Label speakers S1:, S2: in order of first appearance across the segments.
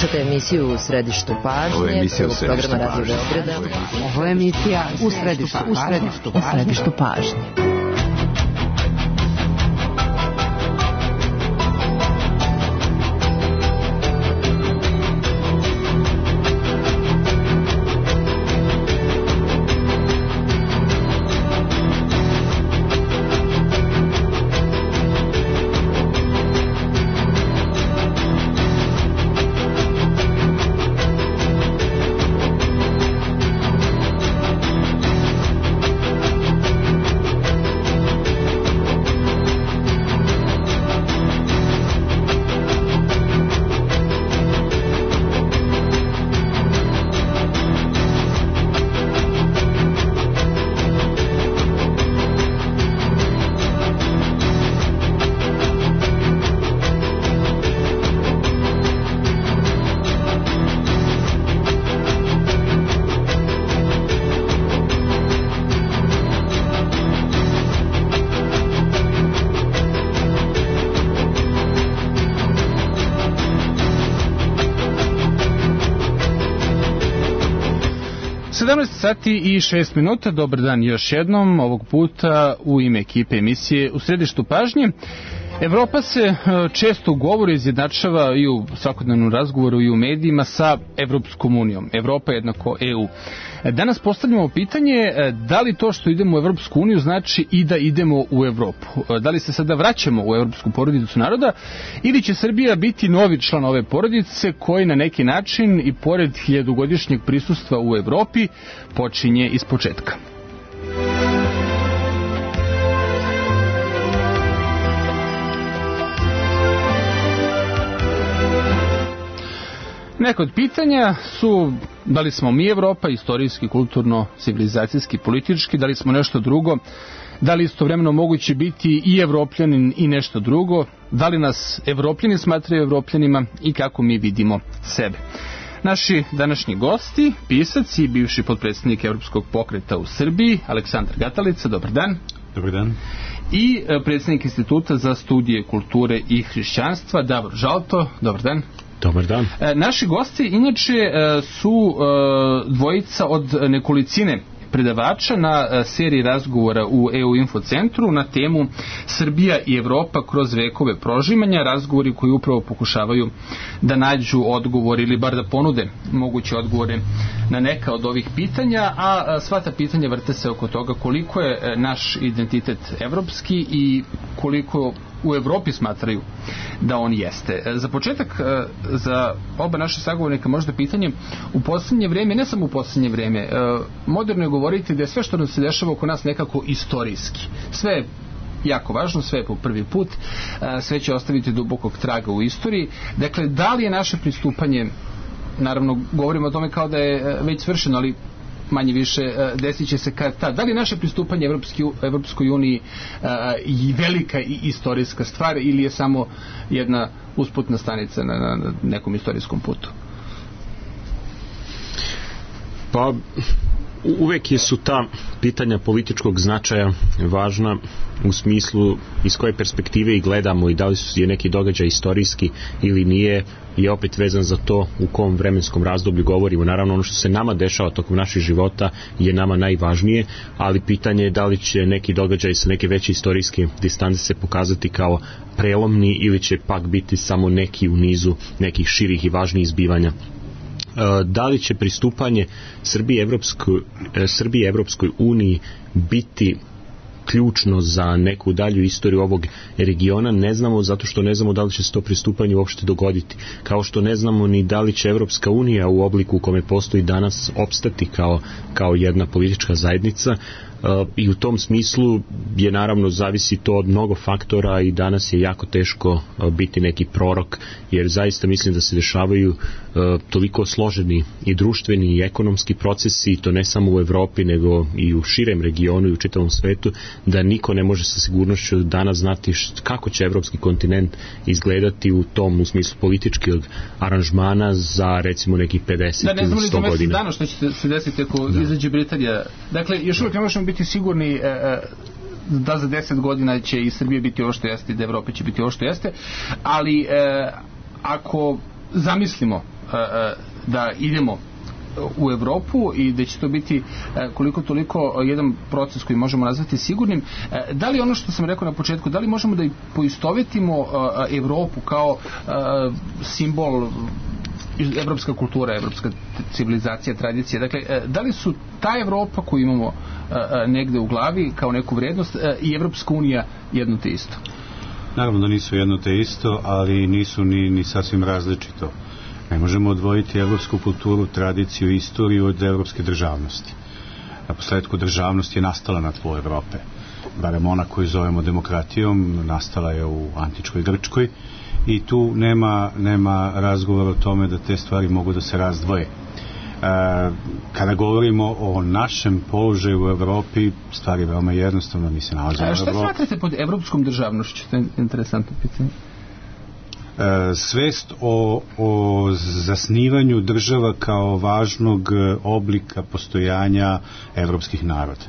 S1: Slušate emisiju U središtu pažnje, prvog programa Radio Beograda.
S2: Ovo je emisija U središtu pažnje.
S3: Sati i 6 minuta, dobar dan još jednom, ovog puta u ime ekipe emisije U središtu pažnje. Evropa se često govori, izjednačava i u svakodnevnom razgovoru i u medijima sa Evropskom unijom. Evropa jednako EU. Danas postavljamo pitanje da li to što idemo u Evropsku uniju znači i da idemo u Evropu. Da li se sada vraćamo u Evropsku porodicu naroda ili će Srbija biti novi član ove porodice koji na neki način i pored hiljadugodišnjeg prisustva u Evropi počinje iz početka. Neka od pitanja su da li smo mi Evropa, istorijski, kulturno, civilizacijski, politički, da li smo nešto drugo, da li istovremeno moguće biti i Evropljanin i nešto drugo, da li nas Evropljani smatraju Evropljanima i kako mi vidimo sebe. Naši današnji gosti, pisac i bivši potpredsjednik Evropskog pokreta u Srbiji, Aleksandar Gatalica, dobar dan.
S4: Dobar dan.
S3: I predsjednik Instituta za studije kulture i hrišćanstva, Davor Žalto, dobar dan.
S4: Dobar dan.
S3: Naši gosti inače su dvojica od nekolicine predavača na seriji razgovora u EU Info centru na temu Srbija i Evropa kroz vekove prožimanja, razgovori koji upravo pokušavaju da nađu odgovor ili bar da ponude moguće odgovore na neka od ovih pitanja, a sva ta pitanja vrte se oko toga koliko je naš identitet evropski i koliko u Evropi smatraju da on jeste. Za početak, za oba naše sagovornika možda pitanje, u posljednje vrijeme, ne samo u posljednje vrijeme, moderno je govoriti da je sve što nam se dešava oko nas nekako istorijski. Sve je jako važno, sve je po prvi put, sve će ostaviti dubokog traga u istoriji. Dakle, da li je naše pristupanje, naravno govorimo o tome kao da je već svršeno, ali manje više desit će se kad tad. Da li je naše pristupanje Evropskoj uniji i velika i istorijska stvar ili je samo jedna usputna stanica na nekom istorijskom putu?
S4: Pa uvek su ta pitanja političkog značaja važna u smislu iz koje perspektive i gledamo i da li je neki događaj istorijski ili nije, je opet vezan za to u kom vremenskom razdoblju govorimo. Naravno, ono što se nama dešava tokom naših života je nama najvažnije, ali pitanje je da li će neki događaj sa neke veće istorijske distance se pokazati kao prelomni ili će pak biti samo neki u nizu nekih širih i važnijih zbivanja. Da li će pristupanje Srbije Evropskoj uniji biti ključno za neku dalju istoriju ovog regiona, ne znamo, zato što ne znamo da li će se to pristupanje uopšte dogoditi. Kao što ne znamo ni da li će Evropska unija u obliku u kome postoji danas opstati kao jedna politička zajednica. I u tom smislu je naravno zavisi to od mnogo faktora i danas je jako teško biti neki prorok, jer zaista mislim da se dešavaju toliko složeni i društveni i ekonomski procesi, i to ne samo u Evropi nego i u širem regionu i u čitavom svetu, da niko ne može sa sigurnošću danas znati kako će evropski kontinent izgledati u tom, u smislu političkog aranžmana za recimo nekih 50 ili 100 godina. Da, ne znamo li za mjesec
S3: dana što će se desiti ako izađe Britanija. Dakle, još uvijek ne možemo biti sigurni da za 10 godina će i Srbija biti ovo što jeste i da Evropa će biti ovo što jeste, ali ako zamislimo da idemo u Evropu i da će to biti koliko toliko jedan proces koji možemo nazvati sigurnim. Da li ono što sam rekao na početku, da li možemo da poistovetimo Evropu kao simbol evropska kultura, evropska civilizacija, tradicija, dakle, da li su ta Evropa koju imamo negde u glavi kao neku vrednost i Evropska unija jedno te isto?
S5: Naravno da nisu jedno te isto, ali nisu ni sasvim različito. Ne možemo odvojiti evropsku kulturu, tradiciju i istoriju od evropske državnosti. Na posledku državnost je nastala na tlu Evrope. Barem ona koju zovemo demokratijom, nastala je u antičkoj Grčkoj i tu nema razgovora o tome da te stvari mogu da se razdvoje. Kada govorimo o našem položaju u Evropi, stvar je veoma jednostavna, mi se nalazimo u Evropi.
S3: Šta smatrate pod evropskom državnošću? To je interesantno pitanje.
S5: Svest o zasnivanju država kao važnog oblika postojanja evropskih naroda.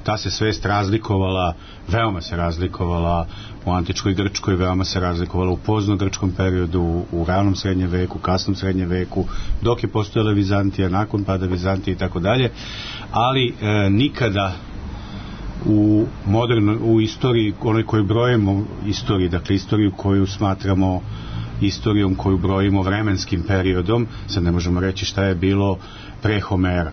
S5: Ta se svest razlikovala, veoma se razlikovala u antičkoj Grčkoj, veoma se razlikovala u pozno-grčkom periodu, u ranom srednjem veku, kasnom srednjem veku, dok je postojala Vizantija, nakon pada Vizantije i tako dalje, ali nikada u istoriji, onoj koju brojimo istoriji, dakle istoriju koju smatramo istorijom koju brojimo vremenskim periodom, sad ne možemo reći šta je bilo pre Homera.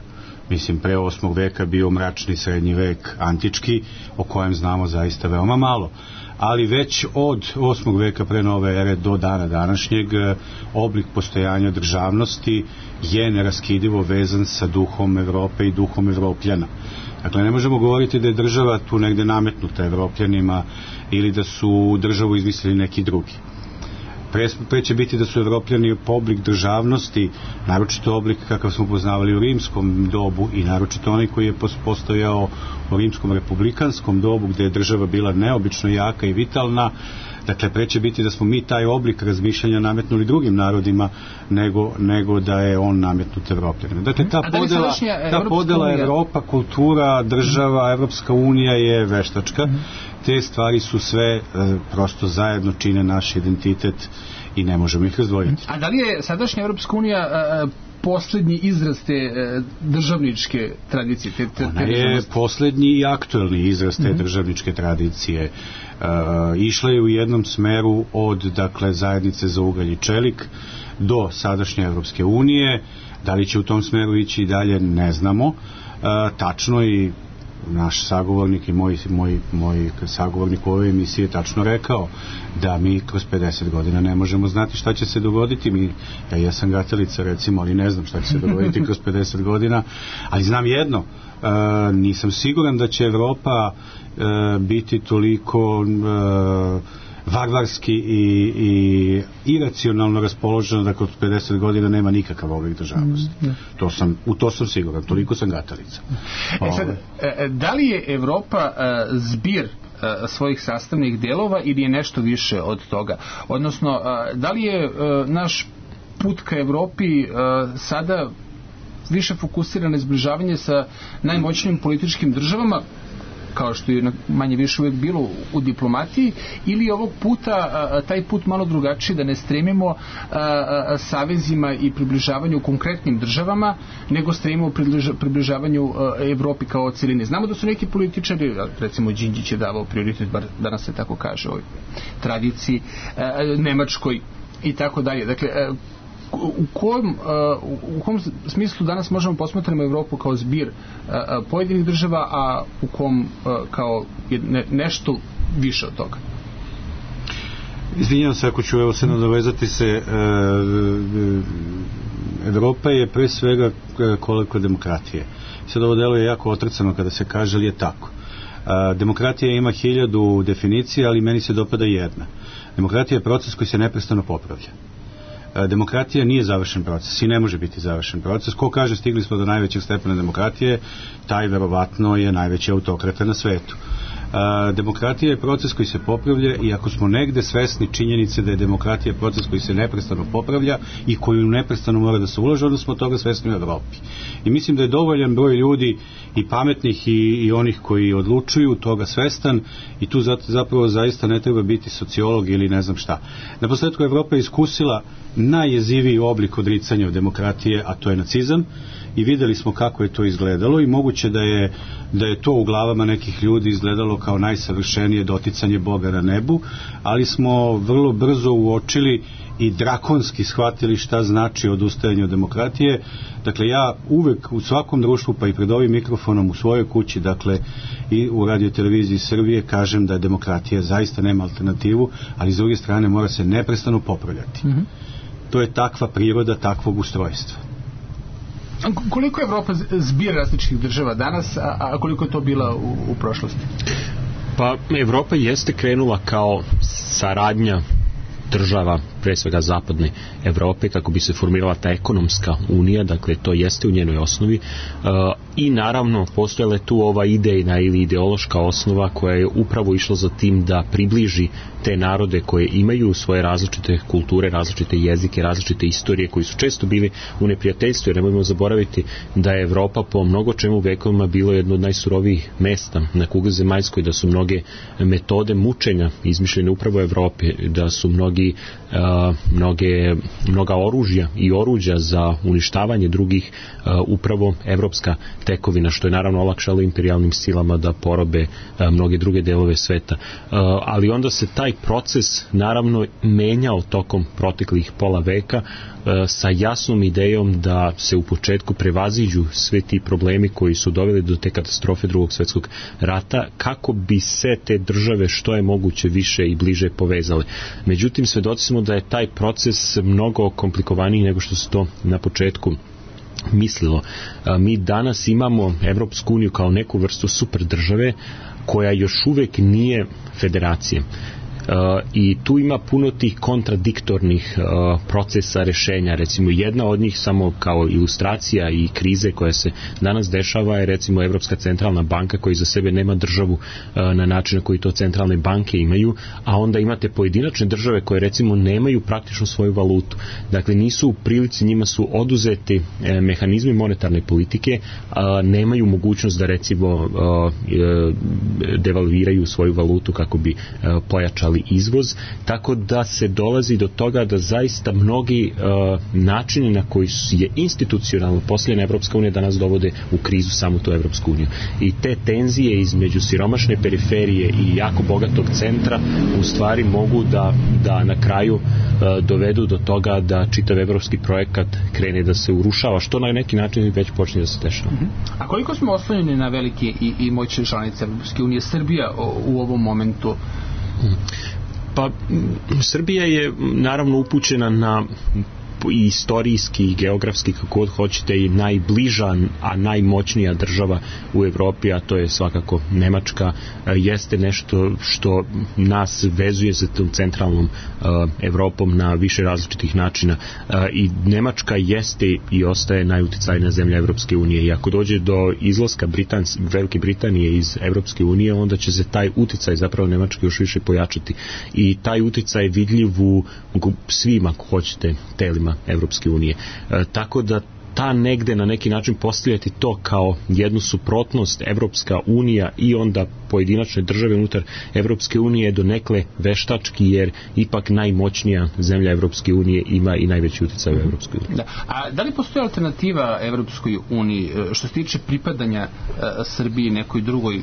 S5: Mislim, pre 8. veka bio mračni srednji vek antički, o kojem znamo zaista veoma malo. Ali već od 8. veka pre nove ere do dana današnjeg oblik postojanja državnosti je neraskidivo vezan sa duhom Evrope i duhom Evropljana. Dakle, ne možemo govoriti da je država tu negde nametnuta Evropljanima ili da su državu izmislili neki drugi. Pre će biti da su Evropljani oblik državnosti, naročito oblik kakav smo poznavali u rimskom dobu i naročito onaj koji je postojao u rimskom republikanskom dobu, gde je država bila neobično jaka i vitalna. Dakle, pre će biti da smo mi taj oblik razmišljanja nametnuli drugim narodima nego da je on nametnut Evropljanima. Dakle, ta podela Evropa, kultura, država, Evropska unija je veštačka. Te stvari su sve prosto zajedno čine naš identitet i ne možemo ih razdvojiti.
S3: A da li je sadašnja Evropska unija poslednji izraz te državničke tradicije?
S5: Ona je poslednji i aktuelni izraz te državničke tradicije. Išla je u jednom smeru od, dakle, zajednice za ugalj i čelik do sadašnje Evropske unije. Da li će u tom smeru ići i dalje, ne znamo. Tačno i naš sagovornik i moj sagovornik u ovoj emisiji je tačno rekao da mi kroz 50 godina ne možemo znati šta će se dogoditi. Ja sam gatelica, recimo, ali ne znam šta će se dogoditi kroz 50 godina, ali znam jedno, nisam siguran da će Evropa biti toliko varvarski i iracionalno raspoloženo da kroz 50 godina nema nikakav oblik državnosti. U to sam siguran, toliko sam gatalica.
S3: Da li je Evropa zbir svojih sastavnih delova ili je nešto više od toga? Odnosno, da li je naš put ka Evropi sada više fokusiran na zbližavanje sa najmoćnijim političkim državama, kao što je manje više uvijek bilo u diplomatiji, ili ovog puta taj put malo drugačiji, da ne stremimo savezima i približavanju konkretnim državama, nego stremimo približavanju Evropi kao cijeline. Znamo da su neki političari, recimo Đinđić je davao prioritet, bar danas se tako kaže, ovoj tradiciji, Nemačkoj i tako dalje. Dakle, u kom smislu danas možemo posmatrati Evropu kao zbir pojedinih država, a u kom kao nešto više od toga?
S5: Izvinjam se ako ću se nadovezati se. Evropa je pre svega kolektiva demokratije. Sad ovo deluje jako otrcano kada se kaže, ali je tako. Demokratija ima 1000 definicija, ali meni se dopada jedna. Demokratija je proces koji se neprestano popravlja. Demokratija nije završen proces i ne može biti završen proces. Ko kaže stigli smo do najvećeg stepena demokratije, taj verovatno je najveći autokrata na svetu. Demokratija je proces koji se popravlja i ako smo negde svesni činjenice da je demokratija proces koji se neprestano popravlja i koji neprestano mora da se ulaže, onda smo toga svesni u Evropi. I mislim da je dovoljan broj ljudi i pametnih i onih koji odlučuju toga svestan i tu zapravo zaista ne treba biti sociolog ili ne znam šta. Naposletku Evropa je iskusila najjeziviji oblik odricanja od demokratije, a to je nacizam, i videli smo kako je to izgledalo i moguće da je to u glavama nekih ljudi izgledalo kao najsavršenije doticanje Boga na nebu, ali smo vrlo brzo uočili i drakonski shvatili šta znači odustajanje od demokratije. Dakle, ja uvek u svakom društvu, pa i pred ovim mikrofonom u svojoj kući, dakle i u radioteleviziji Srbije, kažem da demokratija zaista nema alternativu, ali s druge strane mora se neprestano popravljati. To je takva priroda takvog ustrojstva.
S3: Koliko je Evropa zbir različitih država danas, a koliko je to bila u prošlosti?
S4: Pa Evropa jeste krenula kao saradnja država, pre svega zapadne Evrope, kako bi se formirala ta ekonomska unija, dakle to jeste u njenoj osnovi, i naravno postojala je tu ova idejna ili ideološka osnova koja je upravo išla za tim da približi te narode koje imaju svoje različite kulture, različite jezike, različite istorije, koji su često bili u neprijateljstvu, jer nemojmo zaboraviti da je Evropa po mnogo čemu vekovima bilo jedno od najsurovijih mesta na kugli zemaljskoj, da su mnoge metode mučenja izmišljene upravo u Evropi, da su mnoga oružja i oruđa za uništavanje drugih upravo evropska tekovina, što je naravno olakšalo imperijalnim silama da porobe mnoge druge delove sveta. Ali onda se taj proces naravno menjao tokom proteklih pola veka sa jasnom idejom da se u početku prevaziđu sve ti problemi koji su doveli do te katastrofe Drugog svjetskog rata, kako bi se te države što je moguće više i bliže povezale. Međutim, svedoci smo da je taj proces mnogo komplikovaniji nego što se to na početku mislilo. Mi danas imamo Evropsku uniju kao neku vrstu super države koja još uvek nije federacija. I tu ima puno tih kontradiktornih procesa rešenja. Recimo jedna od njih, samo kao ilustracija i krize koja se danas dešava, je recimo Evropska centralna banka koja za sebe nema državu na način na koji to centralne banke imaju, a onda imate pojedinačne države koje recimo nemaju praktično svoju valutu. Dakle, nisu u prilici, njima su oduzeti mehanizmi monetarne politike, nemaju mogućnost da recimo devalviraju svoju valutu kako bi pojačali izvoz, tako da se dolazi do toga da zaista mnogi načini na koji je institucionalno postavljena Evropska unija danas dovode u krizu samu tu Evropsku uniju. I te tenzije između siromašne periferije i jako bogatog centra u stvari mogu da na kraju dovedu do toga da čitav evropski projekat krene da se urušava, što na neki način već počne da se dešava.
S3: A koliko smo oslonjeni na velike i moćne članice Evropske unije? Srbija u ovom momentu?
S4: Pa Srbija je naravno upućena na i istorijski i geografski, kako god hoćete, i najbliža, a najmoćnija država u Evropi, a to je svakako Nemačka, jeste nešto što nas vezuje sa tom centralnom Evropom na više različitih načina, i Nemačka jeste i ostaje najuticajnija zemlja Evropske unije, i ako dođe do izlaska Velike Britanije iz Evropske unije, onda će se taj uticaj zapravo Nemačke još više pojačati, i taj uticaj je vidljiv u svim, ako hoćete, telima Evropske unije. Tako da ta negde na neki način postavljati to kao jednu suprotnost Evropska unija i onda pojedinačne države unutar Evropske unije do nekle veštački, jer ipak najmoćnija zemlja Evropske unije ima i najveći uticaj u Evropskoj uniji.
S3: Da. A da li postoji alternativa Evropskoj uniji što se tiče pripadanja Srbiji nekoj drugoj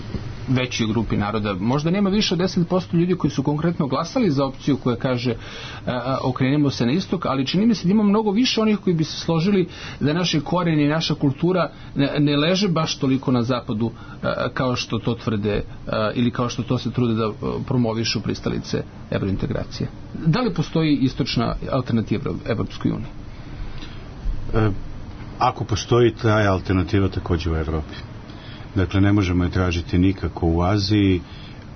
S3: većoj grupi naroda? Možda nema više od 10% ljudi koji su konkretno glasali za opciju koja kaže okrenemo se na istok, ali čini mi se da ima mnogo više onih koji bi se složili da naše korijeni i naša kultura ne leže baš toliko na zapadu kao što to tvrde ili kao što to se trude da promovišu pristalice evrointegracije. Da li postoji istočna alternativa Evropskoj uniji?
S5: Ako postoji, ta je alternativa također u Evropi. Dakle, ne možemo je tražiti nikako u Aziji,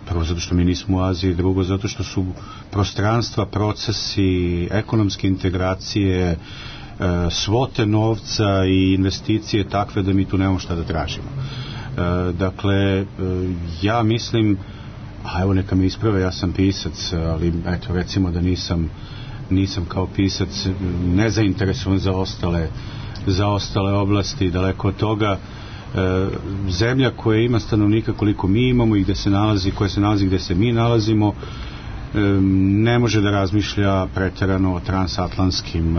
S5: prvo zato što mi nismo u Aziji, drugo zato što su prostranstva, procesi, ekonomske integracije, svote novca i investicije takve da mi tu nemamo šta da tražimo. Dakle, ja mislim a evo neka me isprave, ja sam pisac, ali eto recimo da nisam kao pisac nezainteresovan za ostale oblasti, daleko od toga. Zemlja koja ima stanovnika koliko mi imamo i gde se nalazi, koja se nalazi gde se mi nalazimo, ne može da razmišlja preterano o transatlantskim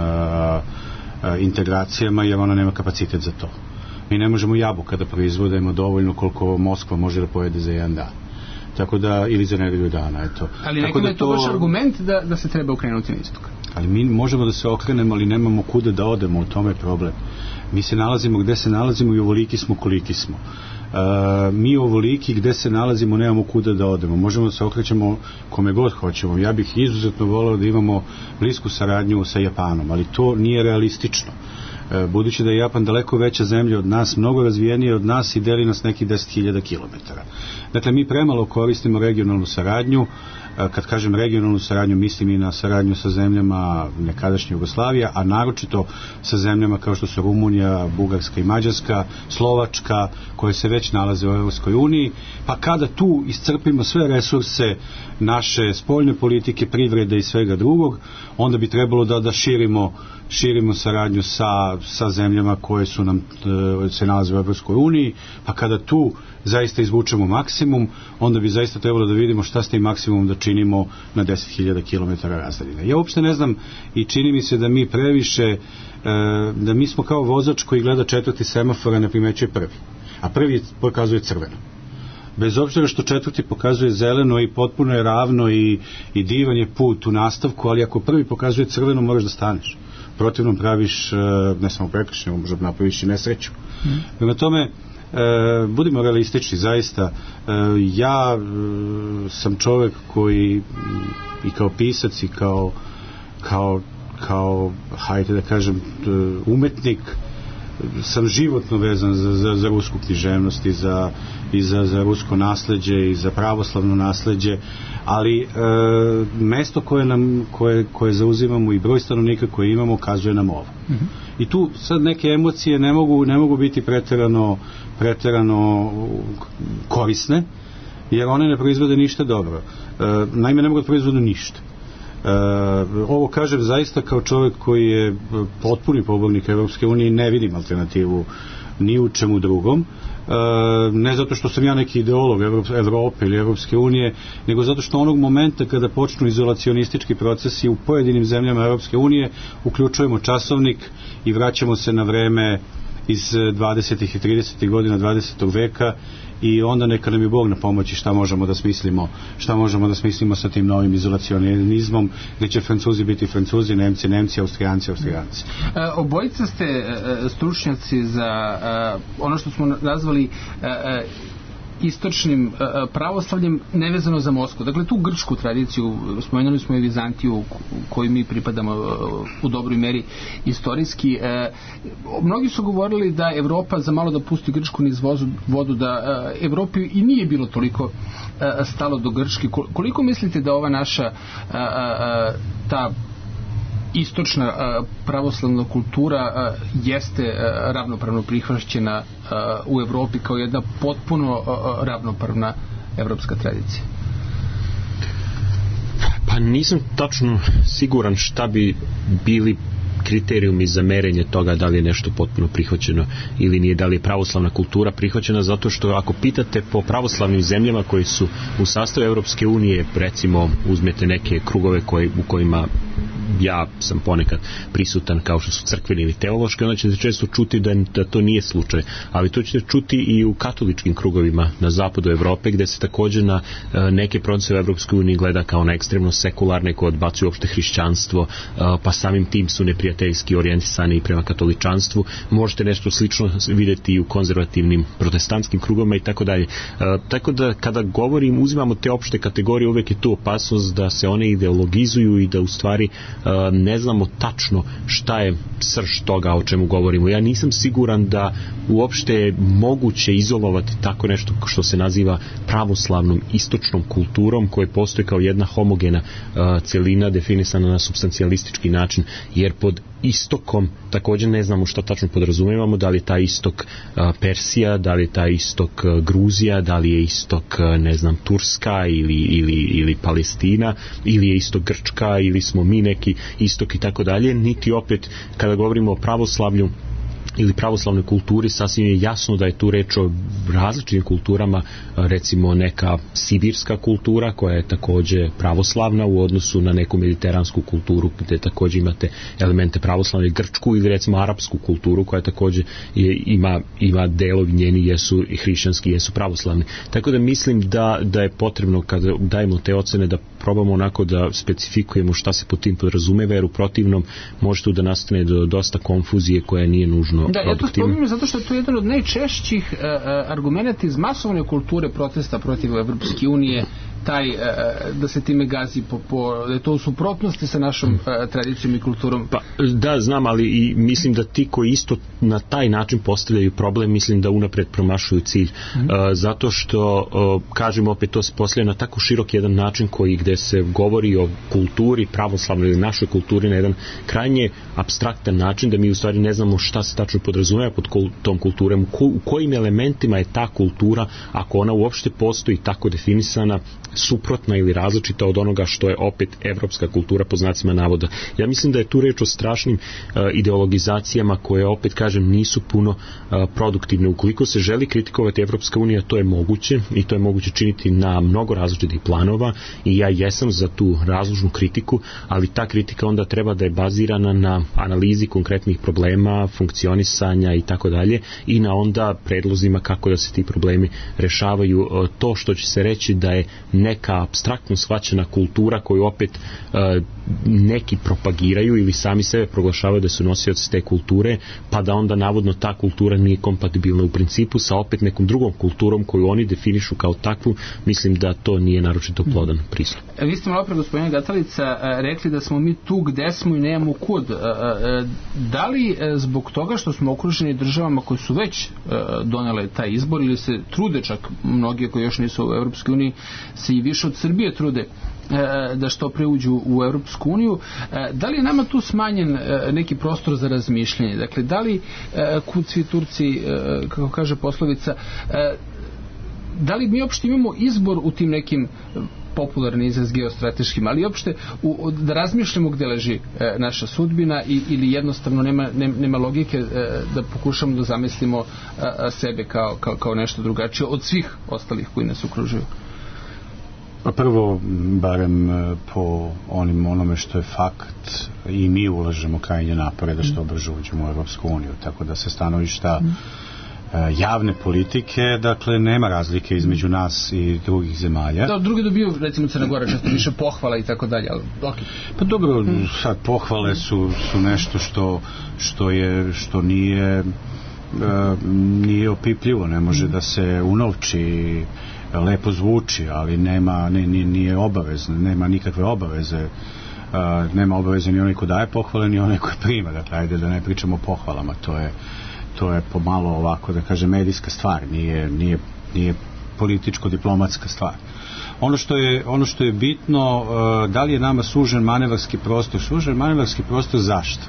S5: integracijama, jer ona nema kapacitet za to. Mi ne možemo jabuka da proizvodimo dovoljno koliko Moskva može da pojede za jedan dan. Tako da, ili za nedelju dana, eto.
S3: Ali nekada je to baš argument da se treba okrenuti na istok.
S5: Ali mi možemo da se okrenemo, ali nemamo kuda da odemo, u tome je problem. Mi se nalazimo gde se nalazimo i ovoliki smo koliki smo. Mi ovoliki gde se nalazimo nemamo kuda da odemo. Možemo da se okrećemo kome god hoćemo. Ja bih izuzetno voleo da imamo blisku saradnju sa Japanom, ali to nije realistično. Budući da je Japan daleko veća zemlja od nas, mnogo razvijenije od nas i deli nas nekih 10.000 kilometara. Dakle, mi premalo koristimo regionalnu saradnju. Kad kažem regionalnu saradnju, mislim i na saradnju sa zemljama nekadašnje Jugoslavije, a naročito sa zemljama kao što su Rumunija, Bugarska i Mađarska, Slovačka, koje se već nalaze u Evropskoj uniji, pa kada tu iscrpimo sve resurse naše spoljne politike, privrede i svega drugog, onda bi trebalo da širimo saradnju sa zemljama koje su nam se nalaze u Evropskoj uniji, pa kada tu zaista izvučemo maksimum, onda bi zaista trebalo da vidimo šta s tim maksimumom da činimo na 10.000 km razdaljine. Ja uopšte ne znam i čini mi se da mi previše, da mi smo kao vozač koji gleda četvrti semafor, a ne primećuje prvi. A prvi pokazuje crveno. Bez obzira što četvrti pokazuje zeleno i potpuno je ravno i divan je put u nastavku, ali ako prvi pokazuje crveno, moraš da staneš. Protivno praviš, ne samo prekršaj, možda napraviš i nesreću. Prema tome, budimo realistični, zaista. Ja sam čovek koji i kao pisac i kao hajde da kažem umetnik sam životno vezan za rusku književnost i za rusko nasleđe i za pravoslavno nasleđe, ali mesto koje zauzimamo i broj stanovnika koje imamo kazuje nam ovo. I tu sad neke emocije ne mogu biti preterano korisne, jer one ne proizvode ništa dobro. Naime, ne mogu da proizvode ništa. Ovo kažem zaista kao čovjek koji je potpuni pobornik Evropske unije i ne vidim alternativu ni u čemu drugom. Ne zato što sam ja neki ideolog Evrope ili Evropske unije, nego zato što onog momenta kada počnu izolacionistički procesi u pojedinim zemljama Evropske unije, uključujemo časovnik i vraćamo se na vreme iz 20. i 30. godina 20. veka i onda neka nam je Bog na pomoći šta možemo da smislimo sa tim novim izolacionizmom, gdje će Francuzi biti Francuzi, Nemci, Austrijanci.
S3: Obojica ste stručnjaci za ono što smo nazvali istočnim pravoslavljem nevezano za Moskvu. Dakle, tu grčku tradiciju, spomenuli smo i Vizantiju koju mi pripadamo u dobroj meri istorijski. Mnogi su govorili da Evropa za malo da pusti Grčku niz vodu, da Evropi i nije bilo toliko stalo do Grčke. Koliko mislite da ova naša ta istočna pravoslavna kultura jeste ravnopravno prihvaćena u Evropi kao jedna potpuno ravnopravna evropska tradicija?
S4: Pa nisam tačno siguran šta bi bili kriterijumi za merenje toga da li je nešto potpuno prihvaćeno ili nije, da li je pravoslavna kultura prihvaćena, zato što ako pitate po pravoslavnim zemljama koji su u sastavu Evropske unije, recimo uzmete neke krugove u kojima ja sam ponekad prisutan, kao što su crkveni ili teološki, onda ćete često čuti da to nije slučaj, ali to ćete čuti i u katoličkim krugovima na zapadu Evrope, gde se također na neke procese u Evropskoj uniji gleda kao na ekstremno sekularne koje odbacuju uopšte hrišćanstvo, pa samim tim su neprijateljski orijentisani i prema katoličanstvu. Možete nešto slično vidjeti i u konzervativnim protestantskim krugovima i tako dalje. Tako da kada uzimamo te opšte kategorije, uvek je tu opasnost da se one ideologizuju i da u stvari ne znamo tačno šta je srž toga o čemu govorimo. Ja nisam siguran da uopšte je moguće izolovati tako nešto što se naziva pravoslavnom istočnom kulturom koja postoji kao jedna homogena celina definisana na supstancijalistički način, jer pod istokom također ne znamo što tačno podrazumevamo, da li je taj istok Persija, da li je taj istok Gruzija, da li je istok, ne znam, Turska ili Palestina, ili je istok Grčka, ili smo mi neki istok i tako dalje, niti opet kada govorimo o pravoslavlju ili pravoslavnoj kulturi, sasvim je jasno da je tu reč o različitim kulturama, recimo neka sibirska kultura koja je također pravoslavna u odnosu na neku mediteransku kulturu gdje također imate elemente pravoslavne, grčku ili recimo arapsku kulturu koja također ima delovi njeni jesu i hrišćanski, jesu pravoslavni. Tako da mislim da je potrebno kada dajemo te ocene da probamo onako da specifikujemo šta se pod tim podrazumeva, jer u protivnom može tu da nastane do dosta konfuzije koja nije nužno.
S3: Da, ja to spominjem zato što je to jedan od najčešćih argumenta iz masovne kulture protesta protiv Evropske unije, taj da se time gazi da je to u suprotnosti sa našom tradicijom i kulturom.
S4: Pa, da, znam, ali i mislim da ti koji isto na taj način postavljaju problem, mislim da unapred promašuju cilj. Zato što, kažem opet, to se postavlja na tako širok jedan način gde se govori o kulturi pravoslavnoj ili našoj kulturi na jedan krajnje apstraktan način, da mi u stvari ne znamo šta se tačno podrazumeva pod tom kulturom, u kojim elementima je ta kultura, ako ona uopšte postoji tako definisana, suprotna ili različita od onoga što je opet evropska kultura po znacima navoda. Ja mislim da je tu reč o strašnim ideologizacijama koje, opet kažem, nisu puno produktivne. Ukoliko se želi kritikovati Evropska unija, to je moguće i to je moguće činiti na mnogo različitih planova i ja jesam za tu razložnu kritiku, ali ta kritika onda treba da je bazirana na analizi konkretnih problema, funkcionisanja i tako dalje i na onda predlozima kako da se ti problemi rešavaju. To što će se reći da je neka apstraktno shvaćena kultura koju opet neki propagiraju ili sami sebe proglašavaju da su nosioci te kulture, pa da onda navodno ta kultura nije kompatibilna u principu sa opet nekom drugom kulturom koju oni definišu kao takvu, mislim da to nije naročito plodan pristup.
S3: Vi ste malo pre, gospodine Gatalica, rekli da smo mi tu gde smo i nemamo kud. Da li zbog toga što smo okruženi državama koje su već donele taj izbor ili se trude, čak mnogi koji još nisu u Evropskoj uniji se i više od Srbije trude da što pre uđu u Evropsku uniju, da li je nama tu smanjen neki prostor za razmišljanje? Dakle, da li kud svi Turci, kako kaže poslovica, da li mi uopšte imamo izbor u tim nekim popularni izraz geostrateškim, ali uopšte da razmišljamo gde leži naša sudbina ili jednostavno nema logike da pokušamo da zamislimo sebe kao nešto drugačije od svih ostalih koji nas okružuju?
S5: Pa prvo, barem po onome što je fakt, i mi ulažemo krajnje napore da što brže uđemo u Evropsku uniju, tako da se stanovišta javne politike, dakle nema razlike između nas i drugih zemalja.
S3: Da, drugi dobiju, recimo Crna Gora, često više pohvala i tako dalje, ali ok.
S5: Pa dobro, sad pohvale su nešto što nije opipljivo, ne može da se unovči, lepo zvuči, ali nije obavezno, nema nikakve obaveze. Nema obaveze ni onaj ko daje pohvale, ni onaj ko prima. Dakle, ajde da ne pričamo o pohvalama, to je pomalo ovako, da kažem, medijska stvar, nije političko-diplomatska stvar. Ono što je bitno, da li je nama sužen manevarski prostor? Sužen manevarski prostor zašto?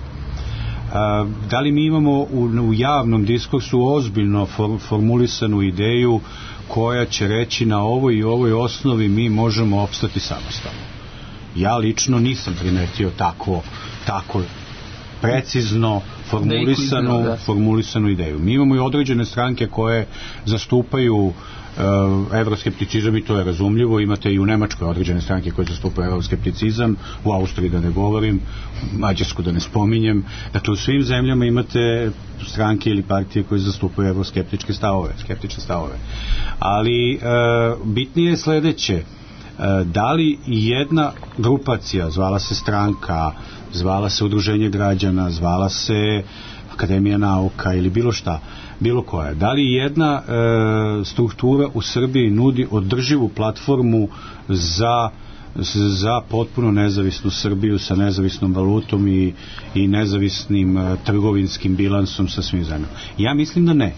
S5: Da li mi imamo u javnom diskursu ozbiljno formulisanu ideju koja će reći na ovoj i ovoj osnovi mi možemo opstati samostalno? Ja lično nisam primetio tako precizno formulisanu ideju. Mi imamo i određene stranke koje zastupaju evroskepticizam i to je razumljivo. Imate i u Nemačkoj određene stranke koje zastupaju evroskepticizam, u Austriji da ne govorim, Mađarsku da ne spominjem. Dakle, u svim zemljama imate stranke ili partije koje zastupaju evroskeptičke stavove. Ali bitnije je sledeće. Da li jedna grupacija, zvala se stranka, zvala se udruženje građana, zvala se Akademija nauka ili bilo šta, bilo koja, da li jedna struktura u Srbiji nudi održivu platformu za za potpuno nezavisnu Srbiju sa nezavisnom valutom i nezavisnim trgovinskim bilansom sa svim zemljama. Ja mislim da ne.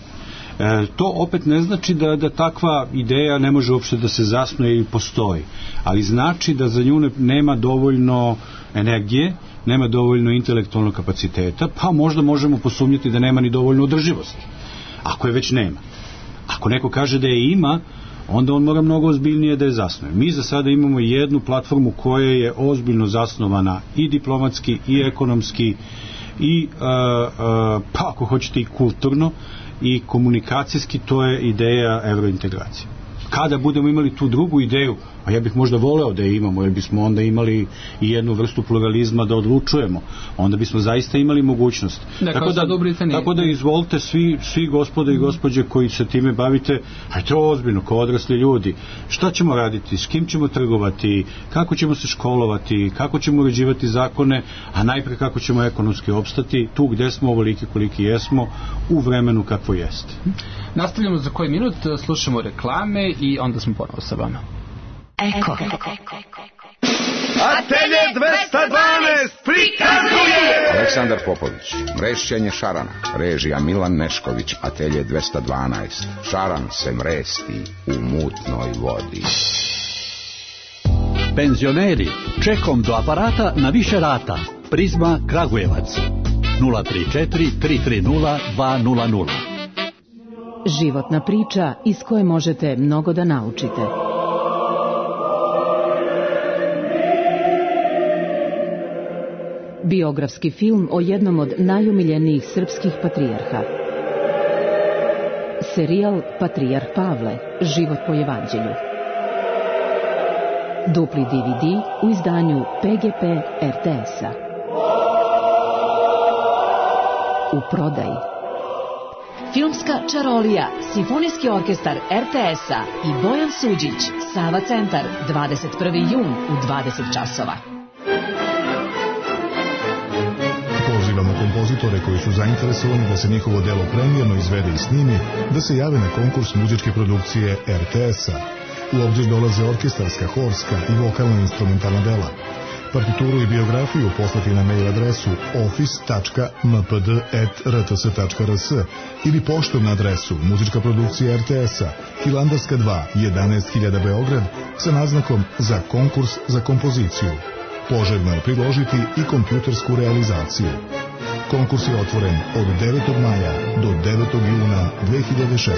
S5: To opet ne znači da takva ideja ne može uopšte da se zasnuje i postoji, ali znači da za nju nema dovoljno energije, nema dovoljno intelektualnog kapaciteta, pa možda možemo posumnjati da nema ni dovoljno održivosti, ako je već nema. Ako neko kaže da je ima, onda on mora mnogo ozbiljnije da je zasnuje. Mi za sada imamo jednu platformu koja je ozbiljno zasnovana i diplomatski i ekonomski i pa ako hoćete i kulturno i komunikacijski, to je ideja evrointegracije. Kada budemo imali tu drugu ideju, a ja bih možda voleo da je imamo, jer bismo onda imali i jednu vrstu pluralizma da odlučujemo, onda bismo zaista imali mogućnost. Tako da izvolite svi gospode i gospođe koji se time bavite, hajde ozbiljno, kao odrasli ljudi, šta ćemo raditi, s kim ćemo trgovati, kako ćemo se školovati, kako ćemo uređivati zakone, a najpre kako ćemo ekonomski opstati tu gde smo ovoliki koliki jesmo u vremenu kakvo jeste.
S3: Nastavljamo za koji minut, slušamo reklame i onda smo ponovo sa vama.
S6: Eko. Atelje 212 prikazuje
S7: Aleksandar Popović, mrešćenje šarana, režija Milan Nešković. Atelje 212, šaran se mresti u mutnoj vodi.
S8: Penzioneri, čekom do aparata na više rata. Prizma Kragujevac 034 330 200.
S9: Životna priča iz koje možete mnogo da naučite. Biografski film o jednom od najumiljenijih srpskih patrijarha. Serijal Patrijarh Pavle, život po evanđelju. Dupli DVD u izdanju PGP RTS-a. U prodaji. Filmska čarolija, Simfonijski orkestar RTS-a i Bojan Suđić, Sava centar, 21. jun u 20 časova.
S10: Pozivamo kompozitore koji su zainteresovani da se njihovo delo premijerno izvede i snimi, da se jave na konkurs muzičke produkcije RTS-a. U obzir dolaze orkestarska, horska i vokalno-instrumentalna dela. Partituru i biografiju poslati na mail adresu office.mpd@rts.rs ili poštom na adresu Muzička produkcija RTS-a, Hilandarska 2, 11.000 Beograd, sa naznakom za konkurs za kompoziciju. Poželjno je priložiti i kompjutersku realizaciju. Konkurs je otvoren od 9. maja do 9. juna 2016.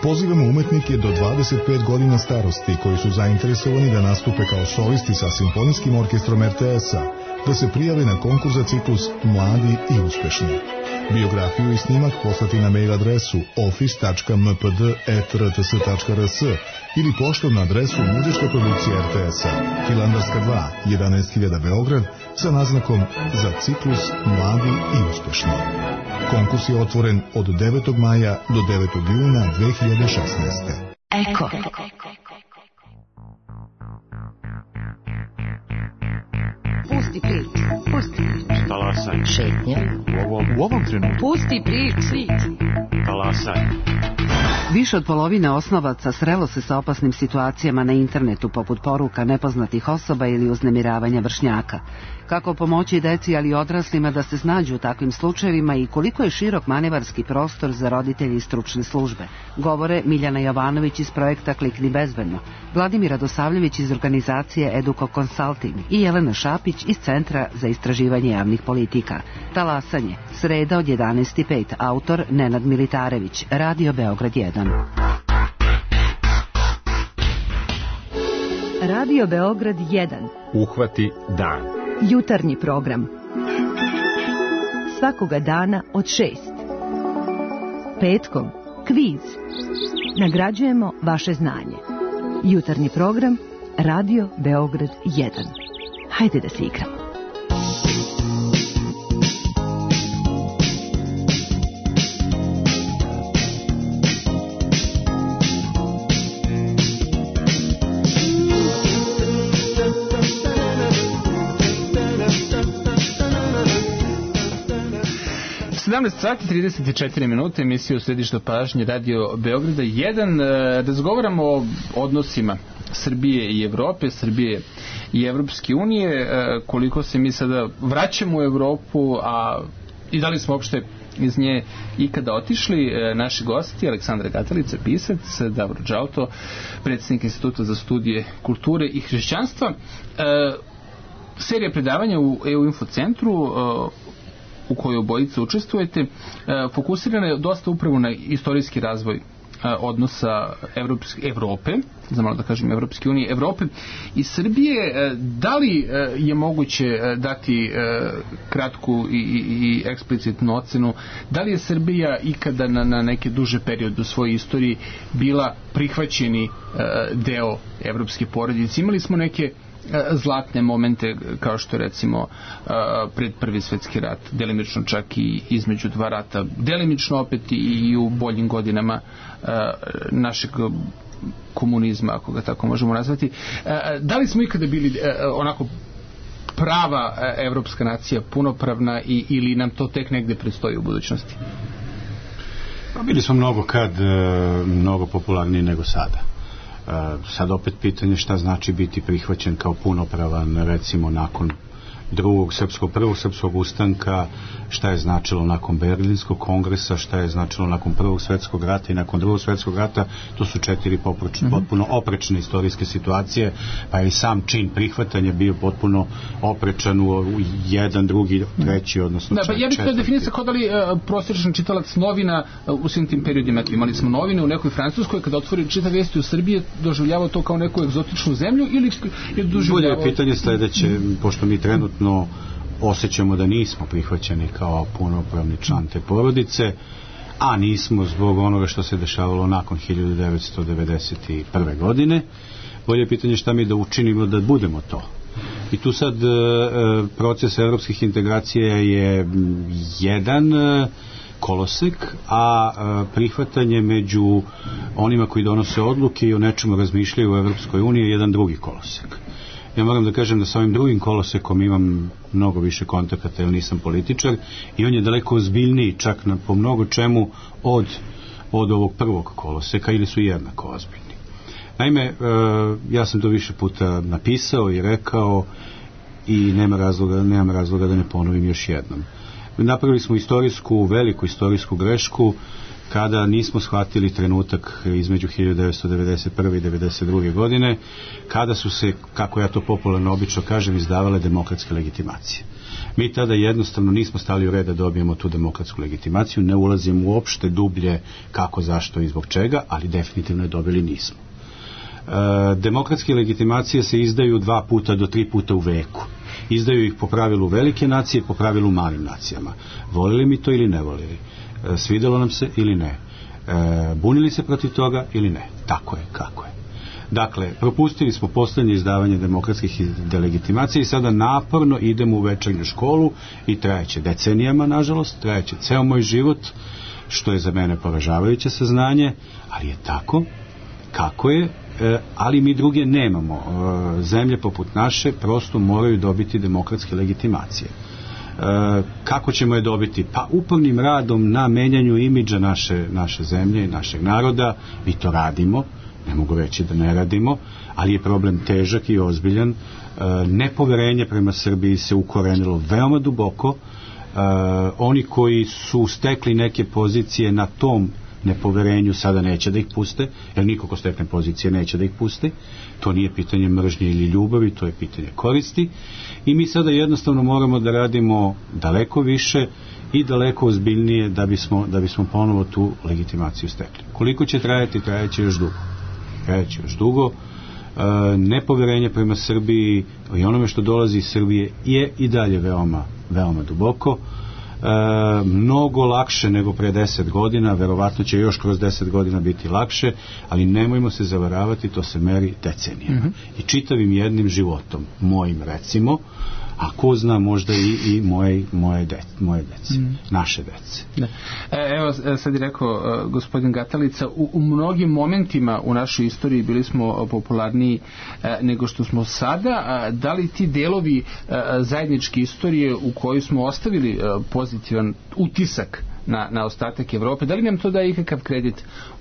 S10: Pozivamo umetnike do 25 godina starosti koji su zainteresovani da nastupe kao solisti sa Simfonijskim orkestrom RTS-a, da se prijave na konkurs za ciklus Mladi i uspešni. Biografiju i snimak poslati na mail adresu office.mpd@rts.rs ili poštom na adresu Muzička produkcija RTS-a, Hilandarska 2, 11.000 Beograd, sa naznakom za ciklus Mladi i uspešni. Konkurs je otvoren od 9. maja do 9. juna 2016.
S6: Eko.
S2: Pusti priču.
S5: Talasaj.
S2: Šetnja.
S5: U ovom trenutku.
S2: Pusti priču.
S5: Talasaj.
S2: Više od polovine osnovaca srelo se sa opasnim situacijama na internetu, poput poruka nepoznatih osoba ili uznemiravanja vršnjaka. Kako pomoći deci, ali i odraslima da se snađu u takvim slučajevima i koliko je širok manevarski prostor za roditelji i stručne službe, govore Miljana Jovanović iz projekta Klikni bezbedno, Vladimir Radosavljević iz organizacije Educo Consulting i Jelena Šapić iz Centra za istraživanje javnih politika. Talasanje, sreda od 11.05, autor Nenad Militarević, Radio Beograd 1.
S9: Radio Beograd 1.
S11: Uhvati dan.
S9: Jutarnji program. Svakoga dana od 6. Petkom kviz. Nagrađujemo vaše znanje. Jutarnji program Radio Beograd 1. Hajde da se igramo.
S3: Sati 34 minute, emisija u središtu pažnje Radio Beograda 1. Razgovaramo o odnosima Srbije i Evrope, Srbije i Evropske unije, koliko se mi sada vraćamo u Evropu, a i da li smo uopšte iz nje ikada otišli. Naši gosti, Aleksandra Gatalica, pisac, Davor Džauto, predsjednik Instituta za studije kulture i hrišćanstva. Serija predavanja u EU Info centru u kojoj obojice učestvujete fokusirana je dosta upravo na istorijski razvoj odnosa Evrope, za malo da kažem Evropske unije, Evrope i Srbije. Da li je moguće dati kratku i eksplicitnu ocenu, da li je Srbija ikada na neke duže periode u svojoj istoriji bila prihvaćeni deo evropske porodice? Imali smo neke zlatne momente, kao što je recimo pred Prvi svjetski rat, delimično čak i između dva rata, delimično opet i u boljim godinama našeg komunizma, ako ga tako možemo nazvati. Da li smo ikada bili onako prava evropska nacija, punopravna, ili nam to tek negde predstoji u budućnosti?
S5: Bili smo mnogo popularniji nego sada. Sad opet pitanje šta znači biti prihvaćen kao punopravan, recimo nakon prvog srpskog ustanka, šta je značilo nakon Berlinskog kongresa, šta je značilo nakon Prvog svjetskog rata i nakon Drugog svjetskog rata. To su 4 potpuno oprečne istorijske situacije, pa je i sam čin prihvatanja bio potpuno oprečan u jedan, drugi, treći, odnosno četvrti.
S3: Ja bih to definisao kao da li prosječan čitalac novina u svim tim periodima. Imali smo novine u nekoj Francuskoj, kada otvori čita vesti u Srbiji, doživljavao to kao neku egzotičnu zemlju ili je doživljavao...
S5: Bolje pitanje sledeće, pošto mi trenutno osjećamo da nismo prihvaćeni kao punopravni član te porodice, a nismo zbog onoga što se dešavalo nakon 1991. godine. Bolje pitanje šta mi da učinimo da budemo to. I tu sad proces evropskih integracija je jedan kolosek, a prihvatanje među onima koji donose odluke i o nečemu razmišljaju u Evropskoj uniji je jedan drugi kolosek. Ja moram da kažem da sa ovim drugim kolosekom imam mnogo više kontakata jer nisam političar i on je daleko ozbiljniji čak po mnogo čemu od ovog prvog koloseka ili su jednako ozbiljni. Naime, ja sam to više puta napisao i rekao i nemam razloga da ne ponovim još jednom. Napravili smo veliku istorijsku grešku kada nismo shvatili trenutak između 1991. i 1992. godine, kada su se, kako ja to popularno obično kažem, izdavale demokratske legitimacije. Mi tada jednostavno nismo stali u red da dobijemo tu demokratsku legitimaciju, ne ulazim uopšte dublje kako, zašto i zbog čega, ali definitivno je dobili nismo. Demokratske legitimacije se izdaju 2 puta do 3 puta u veku. Izdaju ih po pravilu velike nacije, po pravilu malim nacijama. Volili mi to ili ne volili? Svidjelo nam se ili ne? Bunili se protiv toga ili ne? Tako je, kako je. Dakle, propustili smo posljednje izdavanje demokratskih delegitimacija i sada naporno idemo u večernju školu i trajeće decenijama, nažalost, trajeće ceo moj život, što je za mene poražavajuće saznanje, ali je tako, kako je, ali mi druge nemamo. Zemlje poput naše prosto moraju dobiti demokratske legitimacije. Kako ćemo je dobiti? Pa upornim radom na menjanju imidža naše zemlje i našeg naroda. Mi to radimo, ne mogu reći da ne radimo, ali je problem težak i ozbiljan. Nepoverenje prema Srbiji se ukorenilo veoma duboko. Oni koji su stekli neke pozicije na tom nepoverenju sada neće da ih puste, jer niko ko stekne pozicije neće da ih puste. To nije pitanje mržnje ili ljubavi, to je pitanje koristi i mi sada jednostavno moramo da radimo daleko više i daleko ozbiljnije da bismo ponovo tu legitimaciju stekli. Koliko će trajati? Trajaće još dugo. Nepoverenje prema Srbiji i onome što dolazi iz Srbije je i dalje veoma duboko. Mnogo lakše nego pre 10 godina, verovatno će još kroz 10 godina biti lakše, ali nemojmo se zavaravati, to se meri decenijama i čitavim jednim životom, mojim recimo, a ko zna možda i moje dece, naše dece.
S3: Da. Evo sad je rekao gospodin Gatalica, u mnogim momentima u našoj istoriji bili smo popularniji nego što smo sada. Da li ti delovi zajedničke istorije u kojoj smo ostavili pozitivan utisak na ostatak Evrope. Da li nam to daje ikakav kredit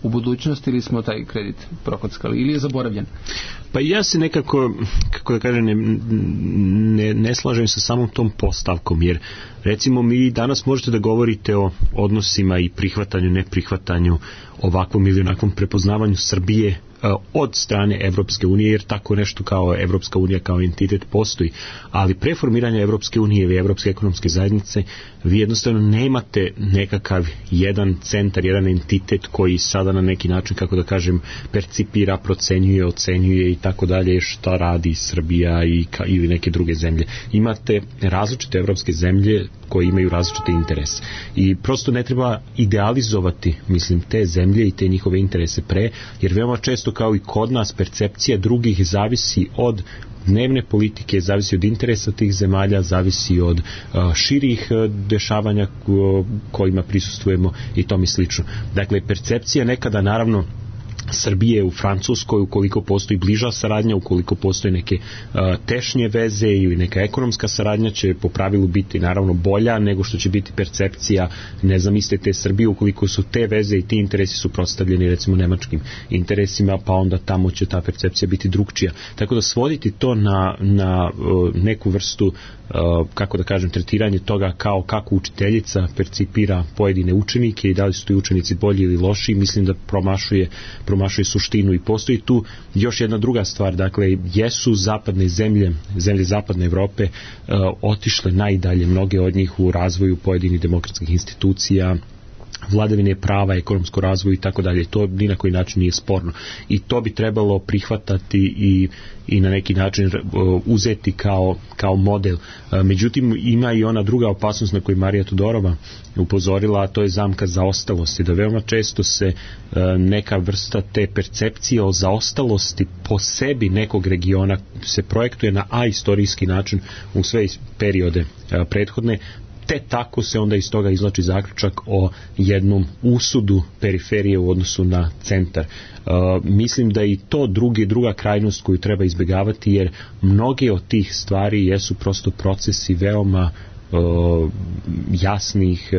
S3: u budućnosti ili smo taj kredit prokockali ili je zaboravljen?
S4: Pa ja se nekako, kako da kažem, ne slažem sa samom tom postavkom, jer recimo mi danas možete da govorite o odnosima i prihvatanju, neprihvatanju, ovakvom ili onakvom prepoznavanju Srbije od strane Evropske unije, jer tako nešto kao Evropska unija kao entitet postoji, ali pre formiranja Evropske unije ili Evropske ekonomske zajednice vi jednostavno nemate nekakav jedan centar, jedan entitet koji sada na neki način, kako da kažem, percipira, procenjuje, ocenjuje i tako dalje šta radi Srbija ili neke druge zemlje. Imate različite evropske zemlje koje imaju različite interese i prosto ne treba idealizovati, mislim, te zemlje i te njihove interese jer veoma često kao i kod nas percepcija drugih zavisi od dnevne politike, zavisi od interesa tih zemalja, zavisi od širih dešavanja kojima prisustvujemo i tome slično. Dakle, percepcija nekada naravno Srbije u Francuskoj, ukoliko postoji bliža saradnja, ukoliko postoje neke tešnje veze ili neka ekonomska saradnja, će po pravilu biti naravno bolja nego što će biti percepcija, ne znam, iste te Srbije, ukoliko su te veze i ti interesi suprotstavljeni recimo nemačkim interesima, pa onda tamo će ta percepcija biti drugčija. Tako da svoditi to na neku vrstu, kako da kažem, tretiranje toga kao kako učiteljica percipira pojedine učenike i da li su ti učenici bolji ili loši, mislim da promašuje suštinu. I postoji tu još jedna druga stvar, dakle, jesu zapadne zemlje zapadne Evrope otišle najdalje, mnoge od njih u razvoju pojedinih demokratskih institucija, vladavine prava, ekonomsko razvoju i tako dalje. To ni na koji način nije sporno. I to bi trebalo prihvatati i na neki način uzeti kao model. Međutim, ima i ona druga opasnost na koju Marija Tudorova upozorila, a to je zamka zaostalosti. Da veoma često se neka vrsta te percepcije o zaostalosti po sebi nekog regiona se projektuje na istorijski način u sve periode prethodne, te tako se onda iz toga izvlači zaključak o jednom usudu periferije u odnosu na centar. Mislim da i to druga krajnost koju treba izbjegavati, jer mnoge od tih stvari jesu prosto procesi veoma jasnih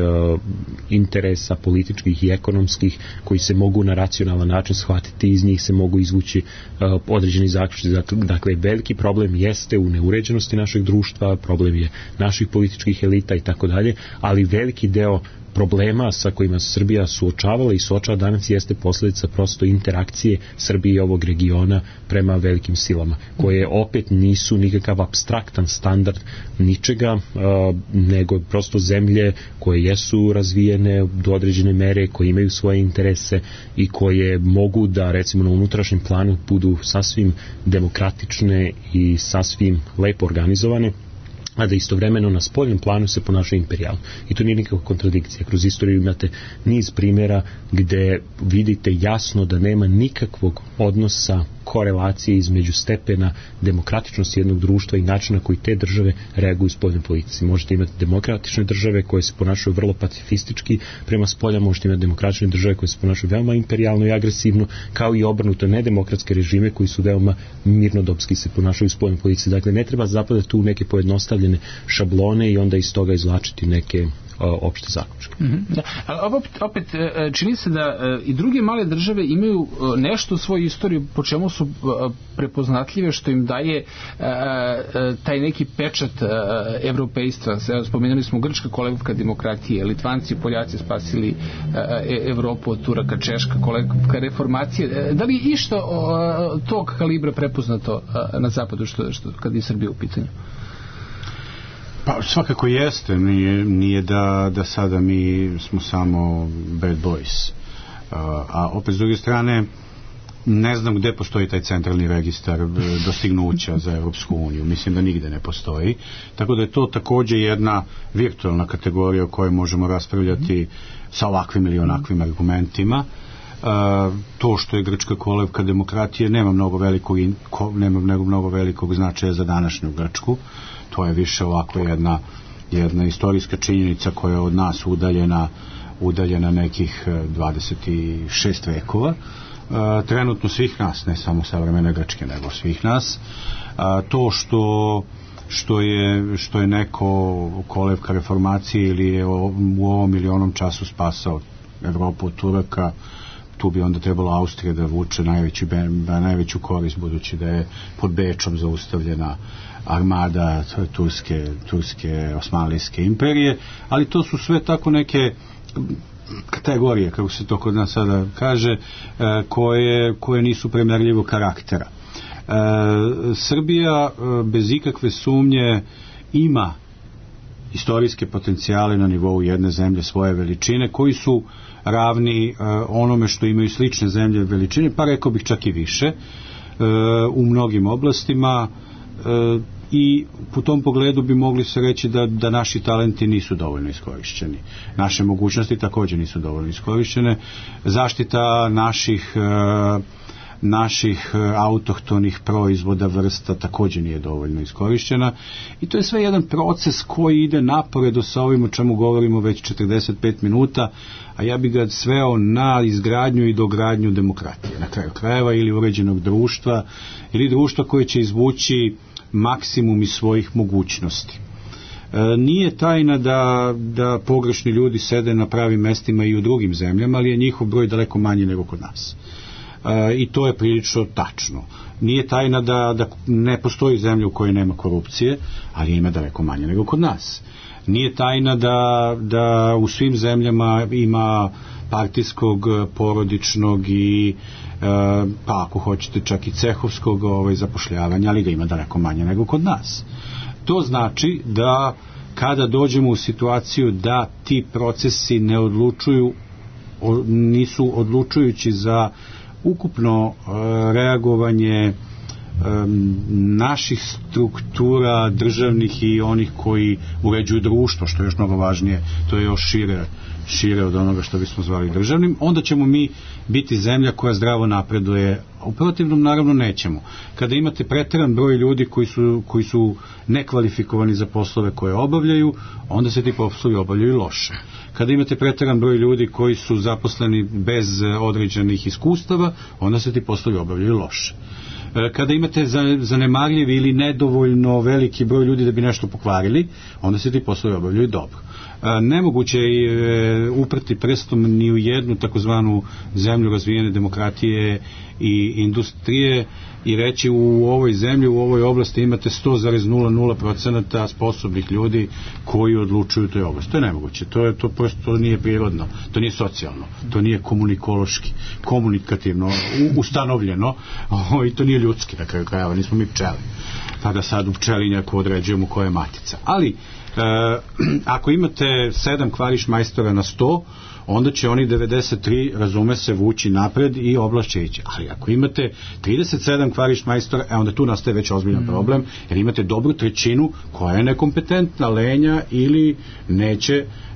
S4: interesa političkih i ekonomskih koji se mogu na racionalan način shvatiti, iz njih se mogu izvući određeni zaključci. Dakle, veliki problem jeste u neuređenosti našeg društva, problem je naših političkih elita i tako dalje, ali veliki deo problema sa kojima se Srbija suočavala i suočava danas jeste posljedica prosto interakcije Srbije i ovog regiona prema velikim silama, koje opet nisu nikakav apstraktan standard ničega, nego prosto zemlje koje jesu razvijene do određene mere, koje imaju svoje interese i koje mogu da recimo na unutrašnjem planu budu sasvim demokratične i sasvim lepo organizovane, a da istovremeno na spoljnom planu se ponašaju imperijalno. I to nije nikakva kontradikcija. Kroz istoriju imate niz primjera gde vidite jasno da nema nikakvog odnosa, korelacije između stepena demokratičnosti jednog društva i načina koji te države reaguju u spoljnoj politici. Možete imati demokratične države koje se ponašaju vrlo pacifistički prema spolja, možete imati demokratične države koje se ponašaju veoma imperijalno i agresivno, kao i obrnuto nedemokratske režime koji su veoma mirnodopski se ponašaju u spoljnoj politici. Dakle, ne treba zapadati tu neke pojednostavljene šablone i onda iz toga izvlačiti neke opšte zaključke.
S3: Da. Ali opet čini se da i druge male države imaju nešto u svojoj istoriji po čemu su prepoznatljive, što im daje taj neki pečat evropejstva. Spomenuli smo grčka kolevka demokratije, Litvanci i Poljaci spasili Evropu od Turaka, Češka kolevka reformacije. Da li je išta tog kalibra prepoznato na zapadu kad je Srbija u pitanju?
S5: Pa svakako jeste, nije da sada mi smo samo bad boys, a opet s druge strane ne znam gde postoji taj centralni registar dostignuća za Evropsku uniju, mislim da nigde ne postoji, tako da je to takođe jedna virtualna kategorija o kojoj možemo raspravljati sa ovakvim ili onakvim argumentima. To što je grčka kolevka demokratije nema mnogo velikog značaja za današnju Grčku. To je više ovako jedna istorijska činjenica koja je od nas udaljena nekih 26 vekova. Trenutno svih nas, ne samo savremene Grčke, nego svih nas. To što što je neko kolevka reformacije ili je u ovom ili onom času spasao Evropu od Turaka. Tu bi onda trebalo Austrija da vuče najveću korist, budući da je pod Bečom zaustavljena armada turske osmanlijske imperije, ali to su sve tako neke kategorije, kako se to kod nas sada kaže, koje nisu primerljivog karaktera. Srbija bez ikakve sumnje ima istorijske potencijale na nivou jedne zemlje svoje veličine, koji su ravni onome što imaju slične zemlje veličine, pa rekao bih čak i više u mnogim oblastima, i u tom pogledu bi mogli se reći da naši talenti nisu dovoljno iskorišćeni. Naše mogućnosti također nisu dovoljno iskorišćene. Zaštita naših autohtonih proizvoda, vrsta također nije dovoljno iskorišćena, i to je sve jedan proces koji ide naporedo sa ovim o čemu govorimo već 45 minuta, a ja bih ga sveo na izgradnju i dogradnju demokratije, na kraju krajeva, ili uređenog društva, ili društva koje će izvući maksimum iz svojih mogućnosti. Nije tajna da pogrešni ljudi sede na pravim mestima i u drugim zemljama, ali je njihov broj daleko manji nego kod nas. I to je prilično tačno. Nije tajna da ne postoji zemlja u kojoj nema korupcije, ali ima daleko manje nego kod nas. Nije tajna da u svim zemljama ima partijskog, porodičnog i pa ako hoćete čak i cehovskog zapošljavanja, ali ga ima daleko manje nego kod nas. To znači da kada dođemo u situaciju da ti procesi nisu odlučujući za ukupno reagovanje naših struktura državnih i onih koji uređuju društvo, što je još mnogo važnije, to je još šire od onoga što bismo zvali državnim, onda ćemo mi biti zemlja koja zdravo napreduje. U protivnom naravno nećemo. Kada imate preteran broj ljudi koji su nekvalifikovani za poslove koje obavljaju, onda se ti poslovi obavljaju loše. Kada imate preteran broj ljudi koji su zaposleni bez određenih iskustava, onda se ti poslovi obavljaju loše. Kada imate zanemarljiv ili nedovoljno veliki broj ljudi da bi nešto pokvarili, onda se ti poslovi obavljaju dobro. Nemoguće je uprti prstom ni u jednu takozvanu zemlju razvijene demokratije i industrije i reći u ovoj zemlji, u ovoj oblasti imate 100,00% sposobnih ljudi koji odlučuju toj oblasti. To je nemoguće, to prosto nije prirodno, to nije socijalno, to nije komunikativno ustanovljeno, i to nije ljudski, na kraju krajeva, nismo mi pčeli, pa da sad u pčelinjaku određujemo koja je matica. Ali ako imate 7 kvarišmajstora na 100, onda će oni 93, razume se, vući napred i oblast će ići. Ali ako imate 37 kvarišmajstora, onda tu nastaje već ozbiljan problem, jer imate dobru trećinu koja je nekompetentna, lenja ili